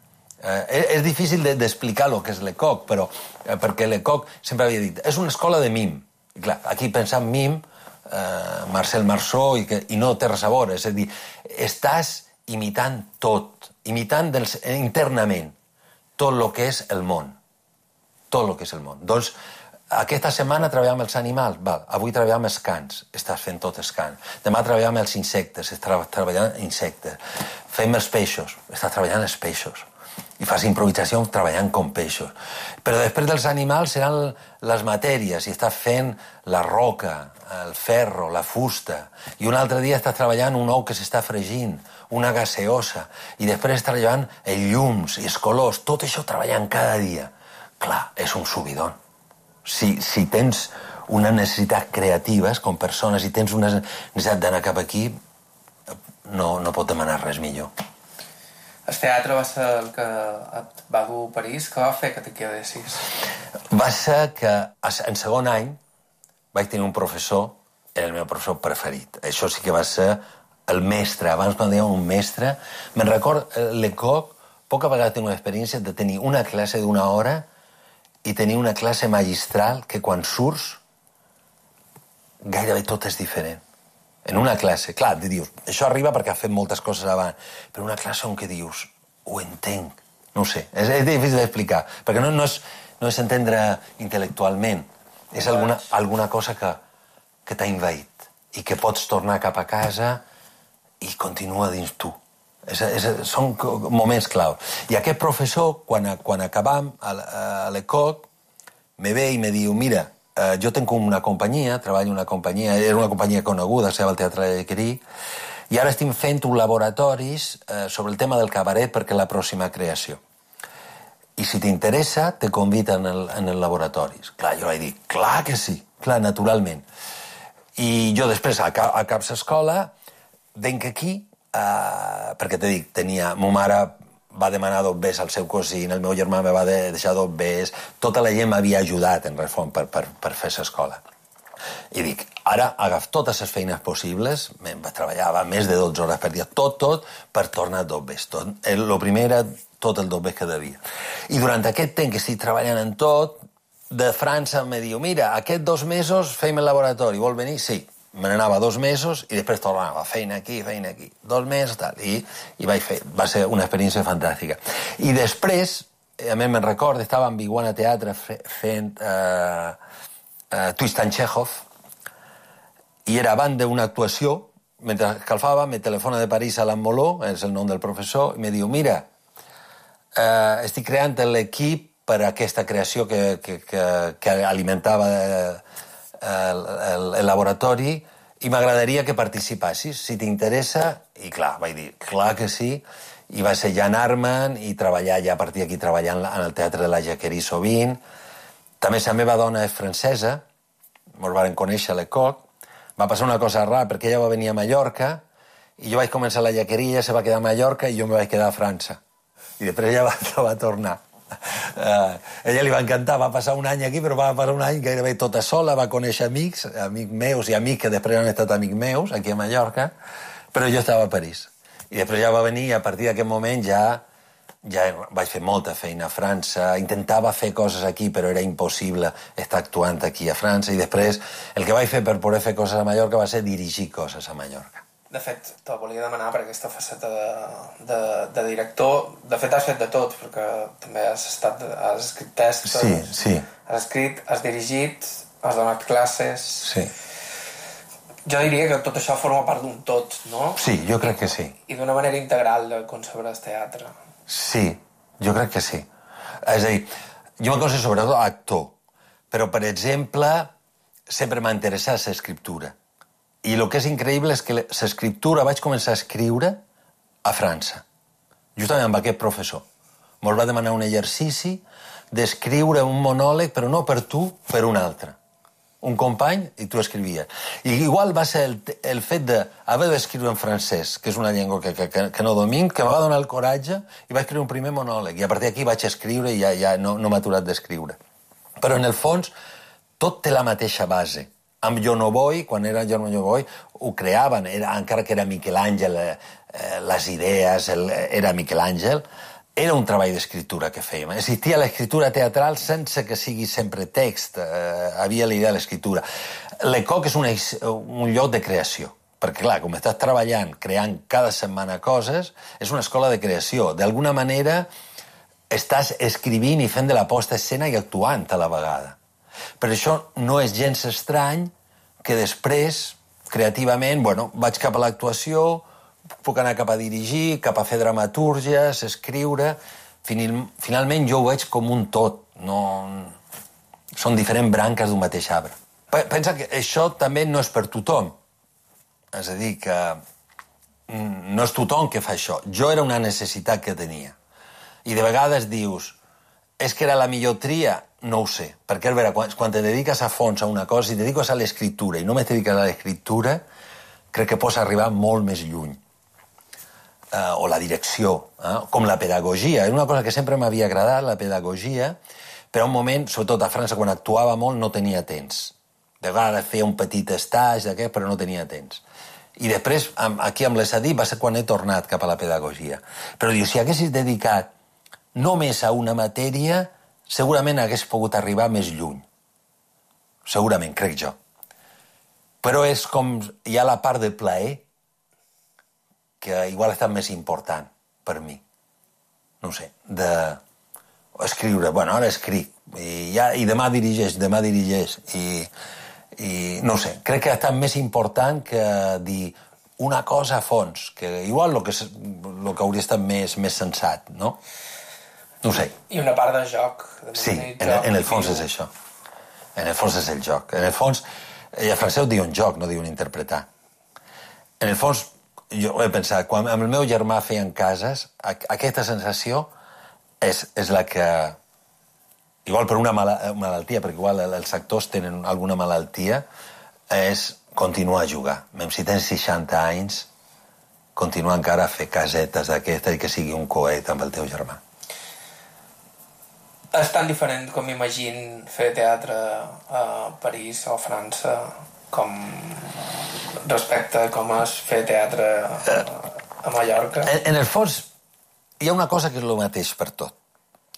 És difícil d'explicar el que és l'ECOC, però perquè l'ECOC sempre havia dit, és una escola de mim. I clar, aquí pensar en mim Marcel Marceau, i no té res a veure. És a dir, estàs imitant tot, imitant internament tot el que és el món. Tot el que és el món. Doncs aquesta setmana treballem amb els animals, val. Avui treballem amb els cans, estàs fent tot els cans. Demà treballem amb els insectes, estàs treballant insectes. Fem els peixos, estàs treballant els peixos. I fas improvisació treballant com peixos. Però després dels animals seran les matèries, i estàs fent la roca, el ferro, la fusta, i un altre dia estàs treballant un ou que s'està fregint, una gaseosa, i després estàs treballant els llums i els colors, tot això treballant cada dia. Clar, és un subidon. Si tens una necessitat creativa com persones i tens una necessitat d'anar cap aquí, no pot demanar res millor. El teatre va ser el que et va dur a París. Què va fer que te quedessis? Va ser que en segon any vaig tenir un professor, era el meu professor preferit. Això sí que va ser el mestre. Abans quan dèiem un mestre, me'n record, Lecoq, poca vegada tinc una experiència de tenir una classe d'una hora i tenir una classe magistral que quan surts gairebé tot és diferent. En una classe, clar, te dius, això arriba perquè ha fet moltes coses abans, però una classe on que dius, ho entenc, no ho sé, és difícil d'explicar, perquè no és entendre intel·lectualment, és alguna cosa que t'ha envaït i que pots tornar cap a casa i continua dins tu. Són moments clau. I aquest professor, quan acabam a l'ECOC, me ve i me diu, mira, jo tinc una companyia, treballo en una companyia, era una companyia coneguda, seva al Teatre de Llequerí, i ara estic fent un laboratoris sobre el tema del cabaret perquè la pròxima creació. I si t'interessa, te conviden en el laboratoris. Clar, jo vaig dir, clar que sí, clar, naturalment. I jo després, a cap escola, venc aquí, perquè t'he dit, ma mare va demanar 2 Bs al seu cosí, el meu germà me va deixar 2 Bs, tota la gent m'havia ajudat, en refon, per fer l'escola. I dic, ara agaf totes les feines possibles, treballava més de 12 hores per dia, tot, per tornar 2 Bs. El primer era tot el 2 Bs que devia. I durant aquest temps que estic treballant en tot, de França me diu, mira, aquests 2 mesos fem el laboratori, vol venir? Sí. Me n'anava 2 mesos i després tornava, feina aquí, 2 mesos, tal, i vaig fer. Va ser una experiència fantàstica. I després, a mi me'n recordo, estava en Iguana Teatre fent Twist and Chekhov, i era abans d'una actuació, mentre calfava, me telefona de París Alain Moló, és el nom del professor, i me diu, mira, estic creant l'equip per a aquesta creació que alimentava el laboratori i m'agradaria que participassis, si t'interessa. I clar, vaig dir, clar que sí, i va ser Jan Arman i treballar ja a partir d'aquí treballant en el Teatre de la Llequerí sovint. També la meva dona és francesa, ens vam conèixer a l'ECOC. Va passar una cosa rara perquè ella va venir a Mallorca i jo vaig començar a la Llequerí, ella se va quedar a Mallorca i jo me vaig quedar a França. I després ella va tornar. Ella li va encantar, va passar un any aquí, però va passar un any gairebé tota sola, va conèixer amics meus i amics que després han estat amics meus aquí a Mallorca, però jo estava a París. I després ja va venir i a partir d'aquest moment ja vaig fer molta feina a França, intentava fer coses aquí, però era impossible estar actuant aquí a França, i després el que vaig fer per poder fer coses a Mallorca va ser dirigir coses a Mallorca. De fet, te volia demanar per aquesta faceta de director. De fet, has fet de tot, perquè també has escrit textos, sí. Has escrit, has dirigit, has donat classes... Sí. Jo diria que tot això forma part d'un tot, no? Sí, jo crec que sí. I d'una manera integral de concebre el teatre. Sí, jo crec que sí. És a dir, jo me considero sobretot actor, però, per exemple, sempre m'ha interessat l'escriptura. I el que és increïble és que l'escriptura vaig començar a escriure a França, justament amb aquest professor. Ens va demanar un exercici d'escriure un monòleg, però no per tu, per un altre. Un company, i tu escrivies. I igual va ser el fet d'haver d'escriure en francès, que és una llengua que no domino, que em va donar el coratge i vaig escriure un primer monòleg. I a partir d'aquí vaig escriure i ja no m'ha aturat d'escriure. Però en el fons tot té la mateixa base. Amb Jo no vull, quan era Jo no vull, ho creaven, encara que era Miquel Àngel, les idees, era Miquel Àngel, era un treball d'escriptura que fèiem. Existia l'escriptura teatral sense que sigui sempre text. Havia la idea de l'escriptura. L'ECOC és un lloc de creació. Perquè, clar, com estàs treballant, creant cada setmana coses, és una escola de creació. D'alguna manera, estàs escrivint i fent de la posta a escena i actuant a la vegada. Per això no és gens estrany que després, creativament, vaig cap a l'actuació, puc anar cap a dirigir, cap a fer dramatúrgies, escriure... Finalment jo ho veig com un tot. Són diferents branques d'un mateix arbre. Pensa que això també no és per tothom. És a dir, que no és tothom que fa això. Jo era una necessitat que tenia. I de vegades dius, és que era la millor tria? No ho sé. Perquè, a veure, quan te dediques a fons a una cosa, si te dediques a l'escriptura i només te dediques a l'escriptura, crec que pots arribar molt més lluny. O la direcció, com la pedagogia. És una cosa que sempre m'havia agradat, la pedagogia, però un moment, sobretot a França, quan actuava molt, no tenia temps. De vegades feia un petit estatge d'aquest, però no tenia temps. I després, aquí amb l'ESADI, va ser quan he tornat cap a la pedagogia. Però diu, si haguessis dedicat només a una matèria, segurament hagués pogut arribar més lluny. Segurament, crec jo. Però és com... Hi ha la part de plaer que igual ha estat més important per mi. No ho sé, d'escriure. Ara escric. I demà dirigeix. I no ho sé, crec que ha estat més important que dir una cosa a fons, que igual el que hauria estat més sensat, no? No ho sé. I una part de joc. Sí, en el fons és això. En el fons és el joc. En el fons, i a francès diuen joc, no diuen interpretar. En el fons, jo he pensat, quan amb el meu germà feien cases, aquesta sensació és la que... Igual per una malaltia, perquè igual els actors tenen alguna malaltia, és continuar a jugar. Même si tens 60 anys, continuar encara a fer casetes d'aquestes i que sigui un coet amb el teu germà. És tan diferent com m'imagino fer teatre a París o a França com respecte a com és fer teatre a Mallorca? En el fons, hi ha una cosa que és el mateix per tot.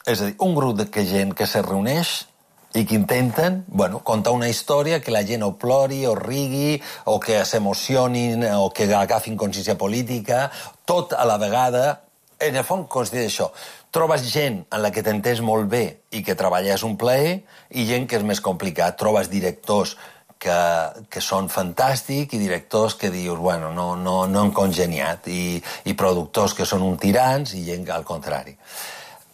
És a dir, un grup de gent que se reuneix i que intenten, contar una història que la gent o plori, o rigui, o que s'emocionin, o que agafin consciència política, tot a la vegada. En el fons consisteix això. Trobes gent en la que t'entens molt bé i que treballes un plaer, i gent que és més complicat. Trobes directors que són fantàstics i directors que dius, no han congeniat, i productors que són un tirans i gent al contrari.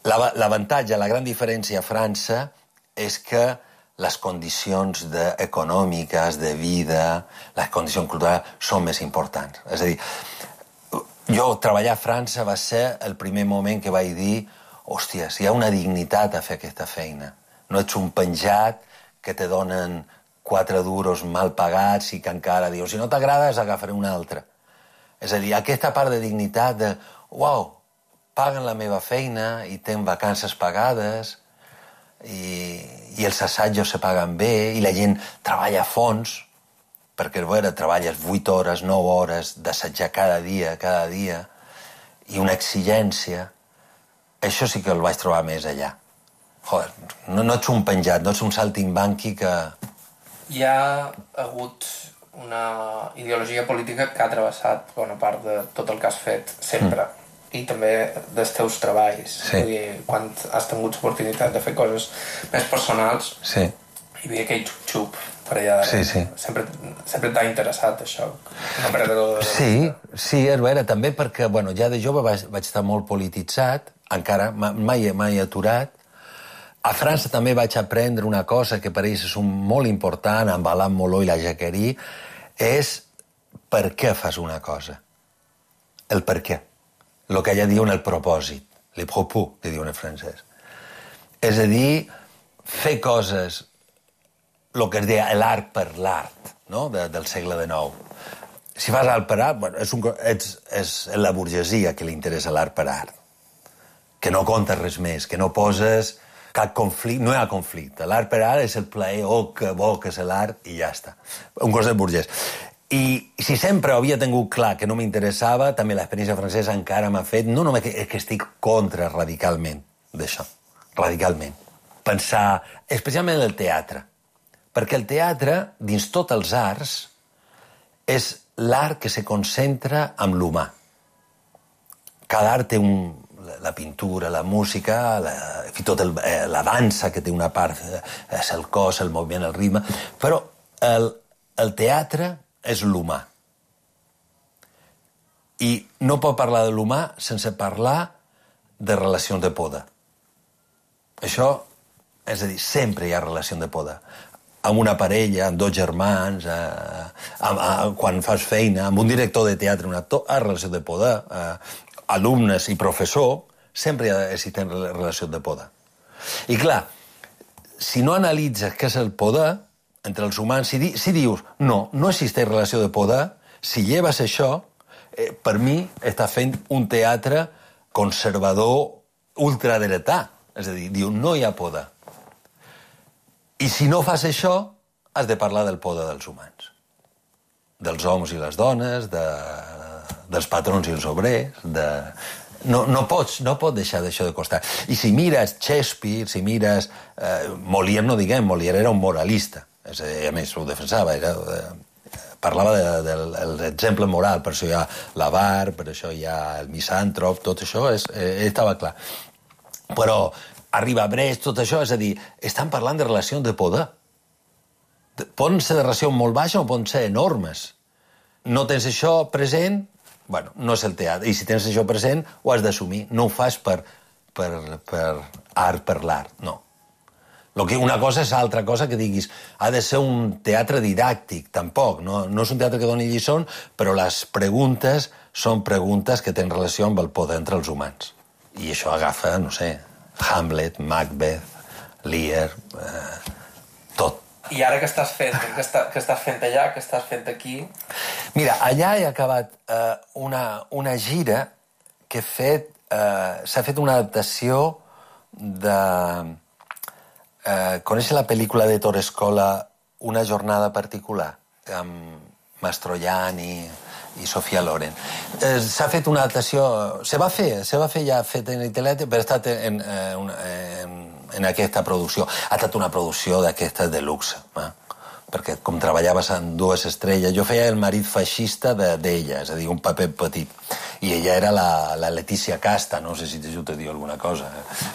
L'avantatge, la gran diferència a França és que les condicions econòmiques, de vida, les condicions culturals són més importants. És a dir, jo treballar a França va ser el primer moment que vaig dir hòsties, hi ha una dignitat a fer aquesta feina. No ets un penjat que te donen 4 duros mal pagats i que encara dius, si no t'agrades agafaré un altre. És a dir, aquesta part de dignitat de uau, paguen la meva feina i tenen vacances pagades i els assajos se paguen bé i la gent treballa a fons perquè treballes 8 hores, 9 hores d'assajar cada dia i una exigència. Això sí que el vaig trobar més allà. Joder, no ets un penjat, no ets un saltimbanqui que... Hi ha hagut una ideologia política que ha travessat bona part de tot el que has fet sempre. I també dels teus treballs. Sí. Vull dir, quan has tingut l'oportunitat de fer coses més personals, sí. Hi havia aquell xup-xup per allà. Sí. Sempre t'ha interessat això. Sí, també perquè, ja de jove vaig estar molt polititzat, encara, mai aturat. A França també vaig aprendre una cosa que per ells és molt important, amb Alain Moló i la Jacquerie, és per què fas una cosa. El per què. El que allà diuen el propòsit, le propos, que diuen en francès. És a dir, fer coses, el que es deia l'art per l'art, no? Del segle XIX. Si fas art per art, és la burgesia que li interessa l'art per art. Que no comptes res més, que no poses cap conflicte, no hi ha conflicte. L'art per art és el plaer, que bo que és l'art, i ja està. Un cos de burgès. I si sempre havia tingut clar que no m'interessava, també l'experiència francesa encara m'ha fet, no només que estic contra radicalment d'això, radicalment. Pensar, especialment en el teatre, perquè el teatre, dins tots els arts, és l'art que se concentra en l'humà. Cada art té la pintura, la música, fins i tot la dansa, que té una part, és el cos, el moviment, el ritme, però el teatre és l'humà. I no pot parlar de l'humà sense parlar de relacions de poder. Això, és a dir, sempre hi ha relació de poder. Amb una parella, amb dos germans, quan fas feina, amb un director de teatre, un actor, hi ha relació de poder. Alumnes i professor, sempre existeixen relacions de poder. I clar, si no analitzes què és el poder entre els humans, si dius no existeix relació de poder, si lleves això, per mi està fent un teatre conservador ultradretà. És a dir, diu, no hi ha poder. I si no fas això, has de parlar del poder dels humans. Dels homes i les dones, dels patrons i els obrers, no pots deixar d'això de costat. I si mires Shakespeare, si mires Molière, no diguem, Molière era un moralista, a més ho defensava, parlava de l'exemple moral, per això hi ha l'Avar, per això hi ha el misàntrop, tot això estava clar. Però arriba Brecht, tot això, és a dir, estan parlant de relacions de poder. Poden ser de relacions molt baixes o poden ser enormes. No tens això present, bueno, no és el teatre. I si tens això present, ho has d'assumir. No ho fas per art per l'art, no. Una cosa és altra cosa que diguis, ha de ser un teatre didàctic, tampoc. No és un teatre que doni lliçons, però les preguntes són preguntes que tenen relació amb el poder entre els humans. I això agafa, no sé, Hamlet, Macbeth, Lear, tot. I ara què estàs fent? Què estàs fent allà? Què estàs fent aquí? Mira, allà he acabat una gira que s'ha fet una adaptació de... Coneixes la pel·lícula de Torescola Una jornada particular? Amb Mastroianni i Sofia Loren. S'ha fet una adaptació... Se va fer ja fet en internet, però ha estat en aquesta producció. Ha estat una producció d'aquestes de luxe, perquè com treballaves en dues estrelles, jo feia el marit feixista d'ella, és a dir, un paper petit. I ella era la Letícia Casta, no sé si això te diu alguna cosa.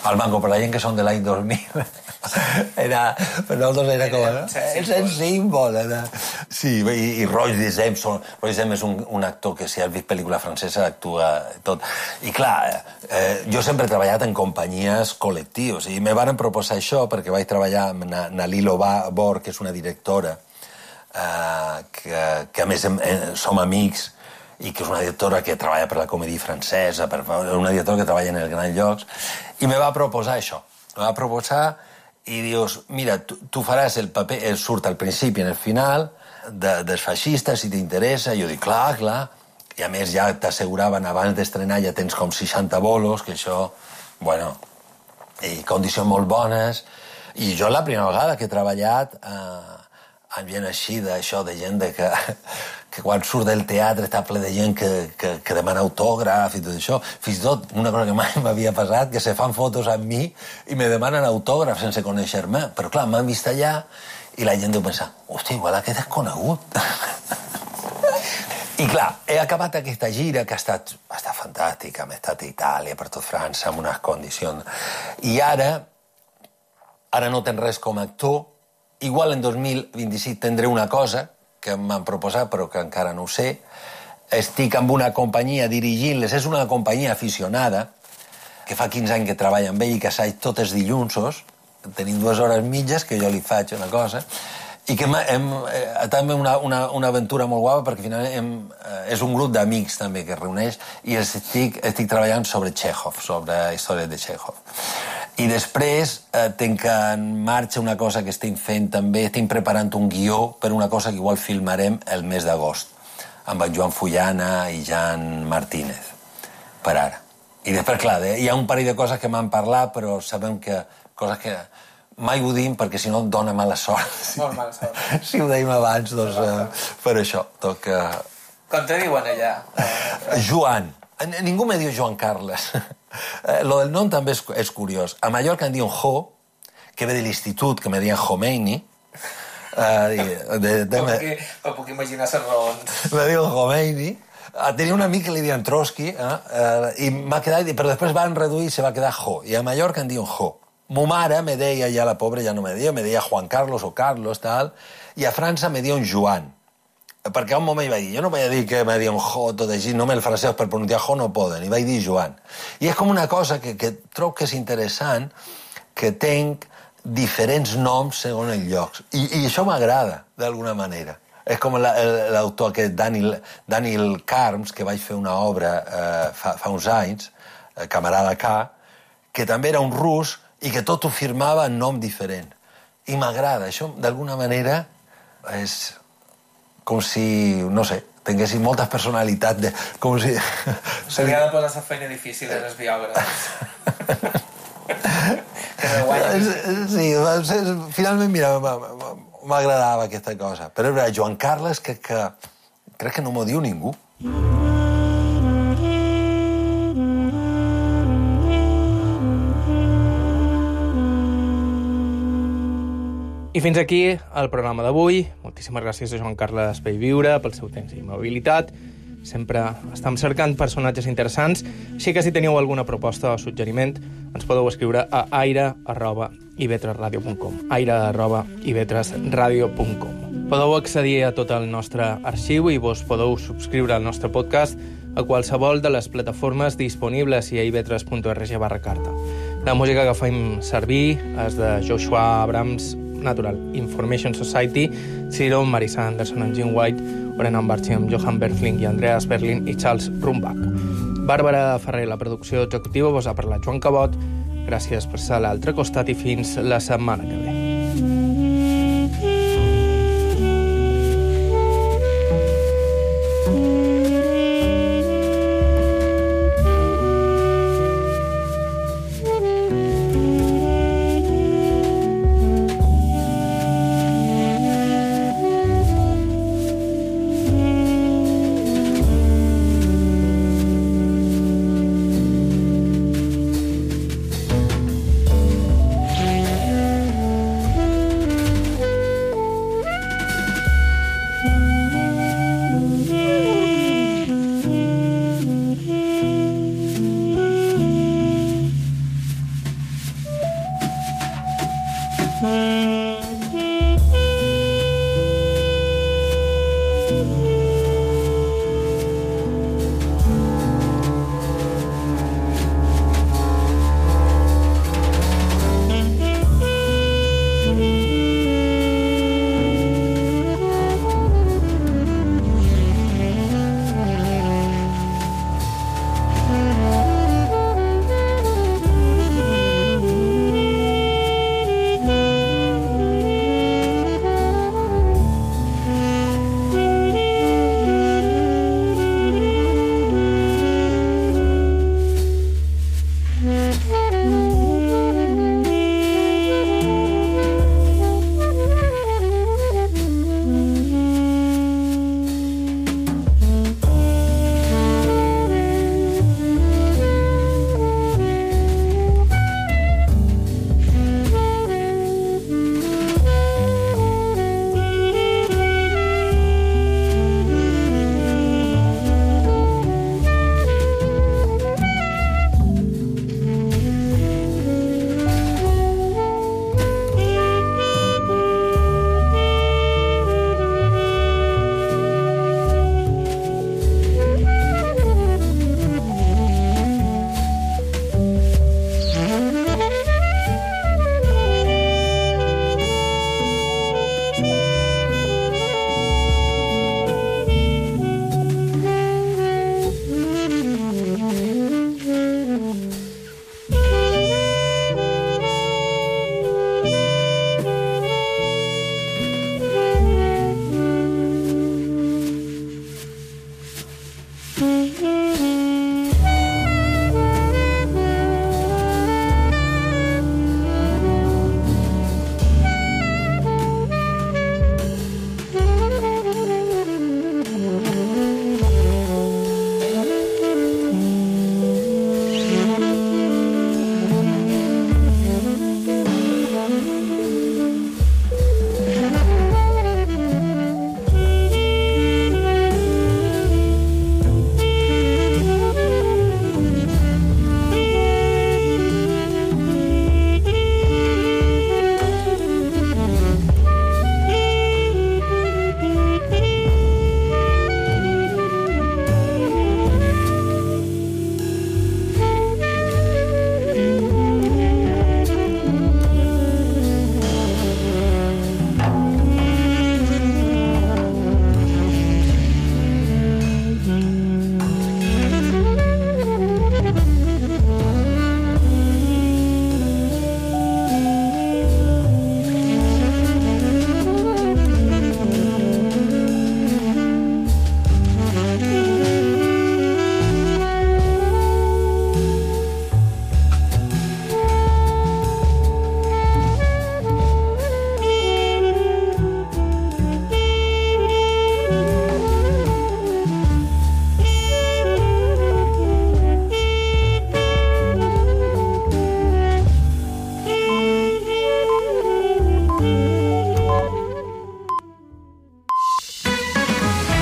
Al Banco, per la gent que són de l'any 2000, per nosaltres era com... És el símbol. Sí, i Roy Dizem és un actor que, si has vist pel·lícula francesa, actua tot. I clar, jo sempre he treballat en companyies col·lectius, i me van proposar això perquè vaig treballar amb Nalilo Bor, que és una directora, que a més som amics, i que és una directora que treballa per la comèdia francesa, una directora que treballa en els grans llocs, i me va proposar això. Me va proposar i dius, mira, tu faràs el paper, surt al principi i al final, dels feixistes, si t'interessa. I jo dic, clar. I a més ja t'asseguraven, abans d'estrenar ja tens com 60 bolos, que això, bueno, i condicions molt bones. I jo la primera vegada que he treballat amb gent així, d'això, de gent que quan surt del teatre està ple de gent que demana autògraf i tot això. Fins i tot, una cosa que mai m'havia passat, que se fan fotos amb mi i me demanen autògraf sense conèixer-me. Però clar, m'han vist allà i la gent deu pensar, hòstia, igual aquest és conegut. I clar, he acabat aquesta gira que ha estat fantàstica, hem estat a Itàlia, per tot França, amb unes condicions. I ara no tens res com a actor. Igual en 2026 tindré una cosa que m'han proposat, però que encara no ho sé. Estic amb una companyia dirigint-les. És una companyia aficionada, que fa 15 anys que treballa amb ell i que assaig tots els dilluns. Tenim 2 hores mitges, que jo li faig una cosa, i que també una aventura molt guapa, perquè finalment és un grup d'amics també que es reuneix, i estic treballant sobre Chekhov, sobre històries de Chekhov. I després tinc en marxa una cosa que estic fent també, estic preparant un guió per una cosa que igual filmarem el mes d'agost, amb en Joan Fullana i Jan Martínez, per ara. I després, clar, hi ha un parell de coses que m'han parlat, però sabem que coses que mai ho dim perquè si no em dona mala sort. Molt mala sort. Si ho dèiem abans, doncs per això toca... Com te diuen allà? Joan. Ningú me diu Joan Carles. Lo del nom també és curiós. A Mallorca em diuen Jo, que ve de l'institut, que me diuen Khomeini. Com puc imaginar les raons. Me diuen Khomeini. Tenia un amic que li diuen Trotsky, i m'ha quedat... Però després van reduir i se va quedar Jo. I a Mallorca em diuen Jo. Mo mare me deia, ja la pobra ja no me deia Juan Carlos o Carlos, tal, i a França me diuen Joan. Perquè a un moment vaig dir, jo no vaig dir que me diuen Jo, tot així, només els francesos per pronunciar Jo no poden, i vaig dir Joan. I és com una cosa que trobo que és interessant, que tenc diferents noms segons els llocs. I això m'agrada, d'alguna manera. És com l'autor aquest, Daniel Carms, que vaig fer una obra fa uns anys, Camarada K, que també era un rus i que tot ho firmava en nom diferent. I m'agrada. Això, d'alguna manera, és com si, no sé, tinguessin moltes personalitats. Com si... Se li ha de posar la feina difícil als biògrafs. Sí, finalment, mira, m'agradava aquesta cosa. Però Joan Carles, crec que no m'ho diu ningú. I fins aquí el programa d'avui. Moltíssimes gràcies a Joan Carles Bellviure pel seu temps i mobilitat. Sempre estem cercant personatges interessants, així que si teniu alguna proposta o suggeriment ens podeu escriure a aire@ivetresradio.com aire@ivetresradio.com. Podeu accedir a tot el nostre arxiu i vos podeu subscriure al nostre podcast a qualsevol de les plataformes disponibles i a ivetres.org/carta. La música que fem servir és de Joshua Abrams, Natural Information Society, Ciro, Marisa Anderson amb Jim White, Orenan Barchi amb Johan Berfling i Andreas Berlin i Charles Rumbach. Bàrbara Ferrer, la producció executiva, vos ha parlat Joan Cabot. Gràcies per ser a l'altre costat i fins la setmana que ve.